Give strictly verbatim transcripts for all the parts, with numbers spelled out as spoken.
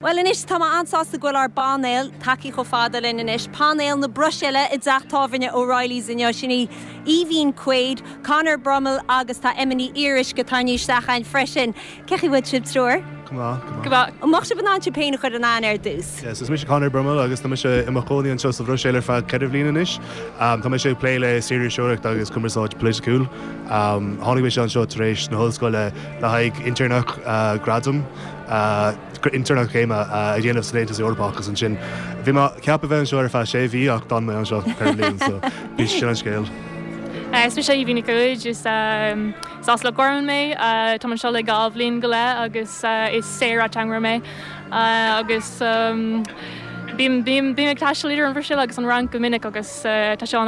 Well anois tá mé an-sásta go bhfuil ár bpainéal tagtha chomh fada linn anois, painéal na Bruiséile i dteach tábhairne O'Reilly's inniu sin í Aoibhín Quaid, Conor Brummel agus tá Emma Ní Fhíoruisce tarraingthe isteach againn freisin. Cén chaoi a bhfuil sibh triúr? Go maith. An mbeadh sibh in ann sibh féin a chur in aithne ar dtús. Yes, is mise Conor Brummel agus tá mise i mo chónaí anseo sa Bhruiséil ar feadh ceithre bhliain anois. Um, tá mise ag plé le saoririseoireacht agus cumarsáid polaitiúil. Um, tháinig mise anseo tar éis na hollscoile le haghaidh intéirneacht uh, gradam uh, intéirneacht céime uh, a dhéanamh san Aontas Eorpach agus ansin. Bhí mé ceaptha bheith anseo ar feadh sé mhí ach d'fhan mé anseo ceithre bliana so bhí sin an scéal. Is mise Aoibhín Cuid is as Loch Garman mé Tá anseo le dhá bhliain go leith agus is saor-ateangaire mé agus bím bím ag taisteal idir an Bhruiséil agus an Fhrainc go minic agus tá sé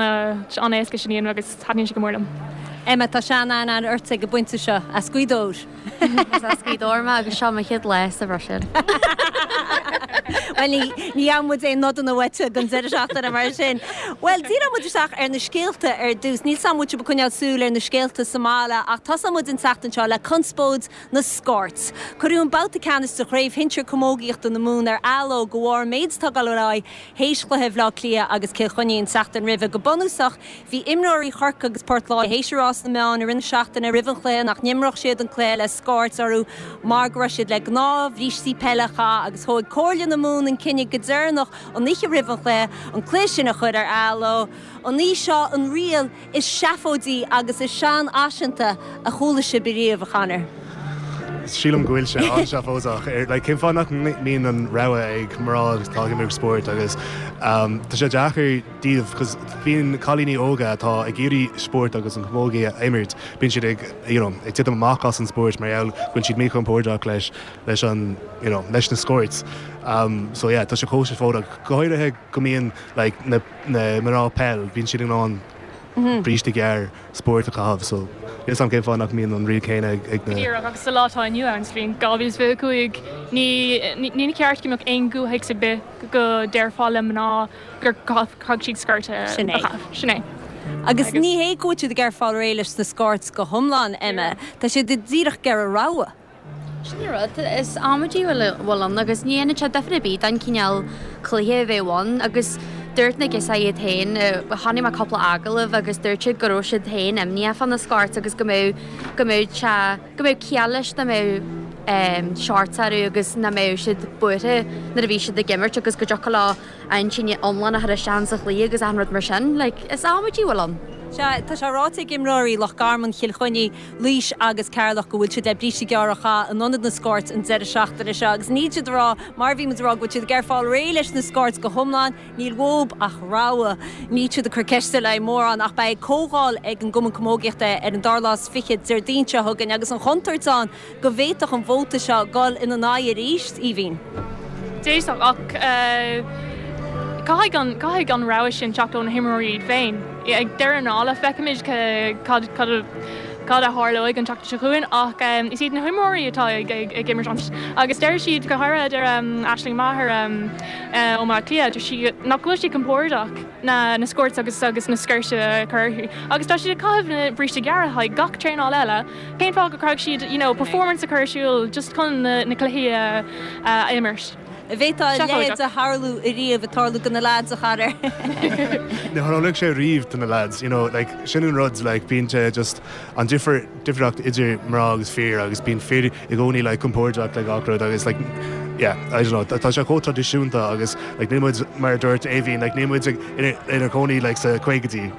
an-éasca sin agus taitníonn sé go mór liom. Emma tá sean-aithne ort ag an bpointe seo as Gaoth Dobhair. As Gaoth Dobhair mé agus seo mo chéad lá sa Bhruiséil. Well ní ní muid é nodan bhaite gan deir seachtaine mar sin. Well díreoidh muid isteach ar na scéalta ar dtús, Níl sam muid coinneáil súil ar na scéalta sa mbaile ach tosóidh muid an tseachtain seo le conspóid na sciorts. Cuireadh an babhta ceannais de chraobh shinsir camógaíochta na Mumhan ar athló de bharr méid atá théis chluiche Bhaile Átha Cliath agus Cill Chainnigh an tseachtain roimhe go bunúsach bhí imreoirí Chorcaí agus Port Láirge théis a rá sna meáin i rith na seachtaine roimh an chluiche nach n-imreodh siad an cluiche le sciorts orthu mar go raibh siad le gnáthbhrístí peile a chaitheamh agus thóg Comhairle na Mumhan an cinneadh go deireanach an oíche roimh an chluiche an cluiche sin a chur ar athló. An í seo an riail is seafóidí agus is seanfhaiseanta a chuala sibh riamh a Chonor. Sílim go bhfuil sé an-seafóideach ar like, cén fáth nach mbíonn an rogha ag mná atá ag imirt spóirt agus um, tá sé deacair díobh cos bíonn cailíní óga atá ag iarraidh spórt agus an chamógaí a imirt, bíonn siad ag you know, ag titim amach as an spórt mar gheall go bhfuil siad míchompordach leis leis an you know, leis na sciorts. Um, so yeah, tá sé chomh seafóideach go háirithe go mbíonn like, na, na mná peil, bíonn siad in ann mm -hmm. bríste gearr spórt a chaitheamh so is an cén fáth nach mbíonn an riail céanna ag na Díreach agus sa lá atá inniu ann sa bhliain dhá mhíle fiche cúig ní ní ceart go mbeadh aon gcomhthéacs ar bith go déarfá le mná gur caithfidh siad sciort Sin é. Sin é. Agus ní hé go bhfuil siad ag fáil réidh leis na sciorts go hiomlán Emma, Tá siad díreach ag iarraidh rogha. Sin rud is amaidí bhfuil ann agus ní dhéanann sé difear ar bith don chineál cluiche a bheith ann agus dúirt na gasúir iad féin chonaic mé cúpla agallamh agus dúirt siad go raibh siad féin imníoch fá na sciorts agus go mbeadh go mbeadh sé go mbeadh ciall leis dá mbeadh um, shorts orthu agus nach mbeadh siad buartha nuair a bhí siad ag imirt agus go dtiocfadh leo an tine iomlán a chur isteach sa chluiche agus an rud mar sin, like, is amaidí bhfuil ann. Se tá sé ráite ag imreoirí Loch Garman Chill Chainnigh Laois agus Ceatharlach go bhfuil siad le bríste gearr a chaitheamh in ionad na sciorts an deireadh seachtaine seo agus ní siad rá mar bhí rá go siad ag fáil réidh leis na sciorts go hiomlán níl uathu ach rogha ní siad ag cur ceiste le mórán ach beidh comhdháil ag an gCumann Camógaíochta ar an dara lá is fiche Déardaoin seo chugainn agus an chontúirt ann go bhféadfadh an vóta seo dul ina n-aghaidh arís Aoibhín. Déach ach caithfidh an caithfidh an rogha sin teacht ó na himreoirí iad féin. Ag deireadh na dála feicfimid cad cad a tharlóidh an tseachtain seo chugainn ach um, is iad na himreoirí atá ag, ag, ag imirt an agus deir siad go háirithe deir um, Aisling Maher um, uh, ó Bleá Cliath deir sí nach bhfuil sí compordach na na sciorts agus agus na sciorts a chur agus tá siad ag caitheamh na bríste gearra ag gach traenáil eile cén fáth go gcaithfidh siad you know, performance a chur ar siúl just chun na, na cluichí a uh, imirt. Bhféadfadh leithéid a tharlú ariamh a tarlú do na lads a Chonor. Ní tharlóidh sé riamh do na lads, you know, like, sin an rud like, bíonn sé just an difir difríocht idir mná agus fir agus bíonn fir i gcónaí like, compordach le gach rud agus like, yeah, I don't know, tá sé chomh traidisiúnta agus like, níl muid mar dúirt Aoibhín like, níl muid ina cónaí like, sa caogaidí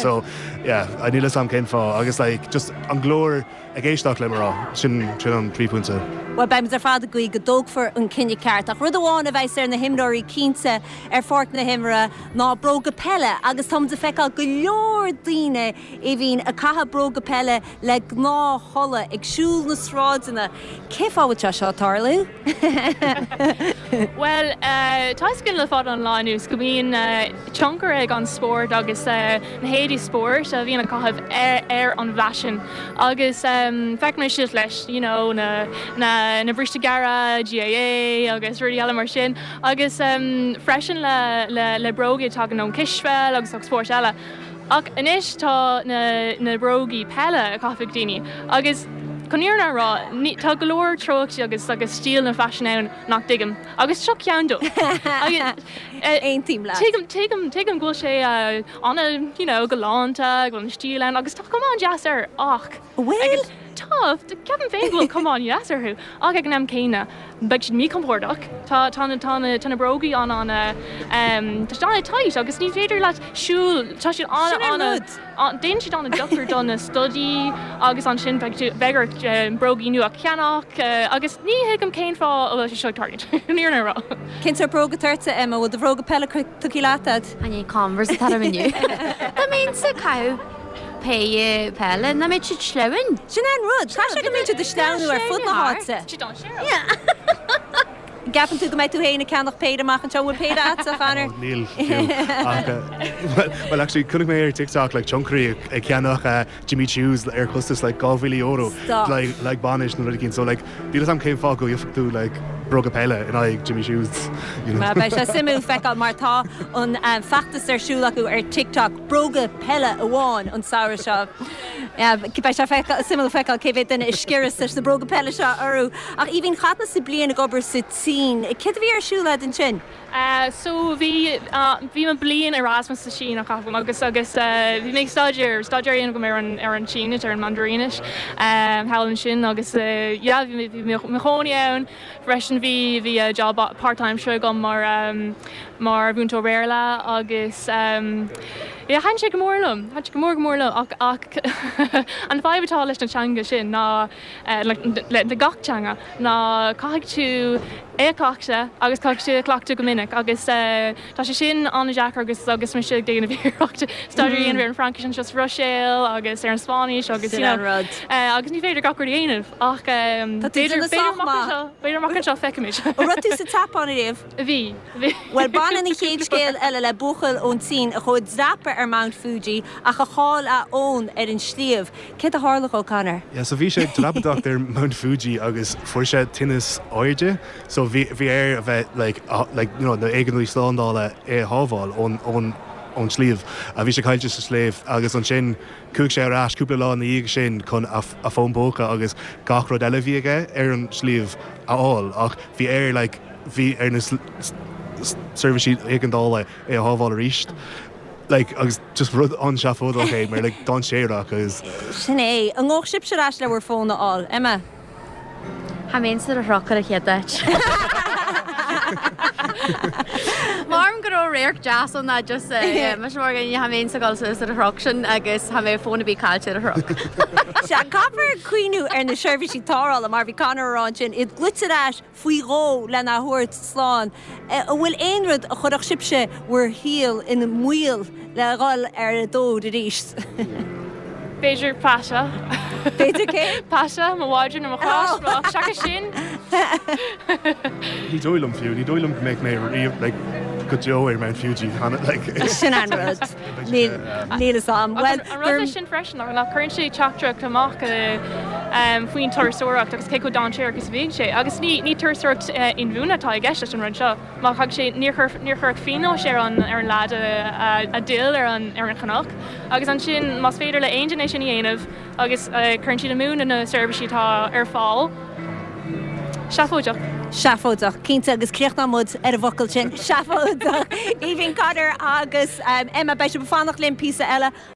so yeah, I níl am cén fáth agus like, just an glór ag éisteacht le mná sin sin an príomhphointe. Well beimid ar fad ag guí go dtógfar an cinneadh ceart ach rud amháin a bheidh ar na himreoirí cinnte ar pháirc na himeartha ná bróga peile agus táimid ag feiceáil go leor daoine Aoibhín ag caitheamh bróga peile le gnáthchulaith ag siúl na sráideanna. Cén fáth bhfuil sé seo tarlú? Well uh, tá gin le fad an lá anuas go mbíonn uh, tionchar ag an spórt agus uh, na héadaí spóirt a bhíonn á gcaitheamh ar, ar an bhfaisean agus um, feicimid siad leis you know, na, na, na bríste gearra, GAA agus rudaí eile mar sin agus um, freisin le, le, le bróga tagann ón cispheil agus agus spórt eile. Ach anois tá na, na brógaí peile á gcaitheamh ag daoine agus Chun an fhírinne a rá, ní, tá go leor treochtaí agus agus stíleanna faisin ann nach dtuigim, agus seo ceann dóibh. Agus, eh, Aontaím leat. Tuigim, tuigim, tuigim go bhfuil sé uh, ana, you know, galánta, go bhfuil an stíl ann, agus tá cuma an-deas air ach Bhfuil? Tá, ceapaim féin go bhfuil cuma an-deas orthu, ach ag an am céanna beidh siad míchompordach. Tá tá na tá na tá na brógaí an an um, tá siad an-tight agus ní féidir leat siúl tá siad an Sin an an rud. Déanann siad an-dochar do na stodaí agus ansin beidh tú- beidh ort eh, brógaí nua a cheannach eh, agus ní thuigim cén fáth a bhfuil sé seo ag tarlúint. Ní ar rá. Cén sórt bróga atá ort Emma bhfuil do bhróga peile tugtha leat agat? An Converse atá inniu. Tá mé sa caiú péire peile na mé siad sleamhain. Sin an rud, Tá sé go mbíonn siad ag sleamhnú ar fud na háite. Siad an Ceapann tú go mbeidh tú féin ag ceannach péire amach anseo bhfuil péire agat a Chonor? Níl fiú. Ach, uh, well, well actually chonaic mé ar TikTok like tionchairí ag ag ceannach uh, Jimmy Choos ar costas like dhá mhíle euro Stop. like like bainis nó rud éigin so like níl a fhios agam cén fáth go bhféadfadh tú like bróga peile in aghaidh Jimmy Choos you know. Ma beidh sé suimiúil feiceáil mar tá an um, feachtas ar siúl acu ar TikTok bróga peile amháin an samhradh seo. Beidh sé suimiúil feiceáil cé mhéad duine a sciorras leis na bróga peile seo orthu. Ach Aoibhinn chaith tusa bliain ag obair sa tSín. Céard a bhí ar siúl agat ansin? Uh, so bhí uh, bhí mé bliain Erasmus sa Sín a chaitheamh agus agus uh, bhí mé ag staidéar staidéar go ar an ar an Sínis ar an Mandairínis um, thall ansin agus uh, yeah, bhí bhí mé i mo chónaí ann freisin bhí bhí uh, job part-time seo agam mar um, mar mhúinteoir Béarla agus um, yeah, thaitin sé go mór liom thaitin sé go mór go mór liom ach ach an fadhb atá leis an teanga sin ná uh, le, le, le gach teanga ná caithfidh tú é a chleachtadh agus caithfidh tú cleachtadh go minic agus uh, tá sé sin an-deacair agus agus mé ag déanamh iarracht staidéar ar an Fraincis anseo sa Bhruiséil agus ar an Spáinnis agus Sin you know, an rud. uh, agus ní féidir gach rud a dhéanamh ach um, Tá tú déanamh sách maith. b'fhéidir amach anseo feicfimid. An raibh tú sa tSeapáin riamh? Bhí bhí. Well baineann an chéad scéal eile le buachaill ón tSín a chuaigh ag dreapadh ar Mount Fuji ach a chaill a fhón ar an sliabh. Céard a tharla dó Conor? Yeah, so bhí sé ag dreapadóireacht ar Mount Fuji agus fuair sé tinneas airde, so bhí bhí air a bheith like, uh, like, you know, na éigeandálaí slándála é a shábháil ón ón ón sliabh a bhí sé caillte sa sliabh agus ansin chuaigh sé ar ais cúpla lá ina dhiaidh sin chun a, a fón póca agus gach rud eile bhí aige ar an sliabh a fháil ach bhí air like, bhí ar na seirbhísí éigeandála é a shábháil arís. Like, agus just rud an-seafóideach é mar like, dainséarach agus Sin é an ngabhfadh sibhse ar ais le bhur bhfón a fháil Emma. Tha mé sa chnoc ar a chéad áit. Marm go réir jazz an ná just me mar tha mé sa gáil sa chnoc sin agus tha mé fón a bí caillte ar chnoc. Se caithfear cuimhneamh ar na seirbhísí tarrthála mar bhí Conor ag rá sin iad glaoite ar ais faoi dhó lena thabhairt slán. An bhfuil aon rud a chuirfeadh sibhse bhur saol i mbaol le dhul ar an dtóir arís. B'fhéidir Pasha. B'fhéidir cé? Pasha mo mhadra nó mo chos seachas sin. Ní dóigh liom fiú, ní dóigh liom go mbeidh mé riamh like, go deo ar Mount Fuji like, Sin an rud. Níl a fhios agam. Well an rud sin freisin nach cuireann sé teachtaireacht amach um, faoin turasóireacht agus cé chomh dainséarach agus bhíonn sé. Agus ní ní turasóireacht uh, inbhuanaithe atá i gceist leis an rud seo. Má thug sé níor chuir pionós ar an ar an leaid a d'fhill ar an ar an chnoc. Agus ansin más féidir le aon duine sin a dhéanamh agus uh, cuireann siad amú na seirbhísí atá ar fáil. Seafóideach. Seafóideach cinnte agus críochnóidh muid ar an bhfocal sin seafóideach. Aoibhinn Conor agus um, Emma beidh sibh ag fanacht linn píosa eile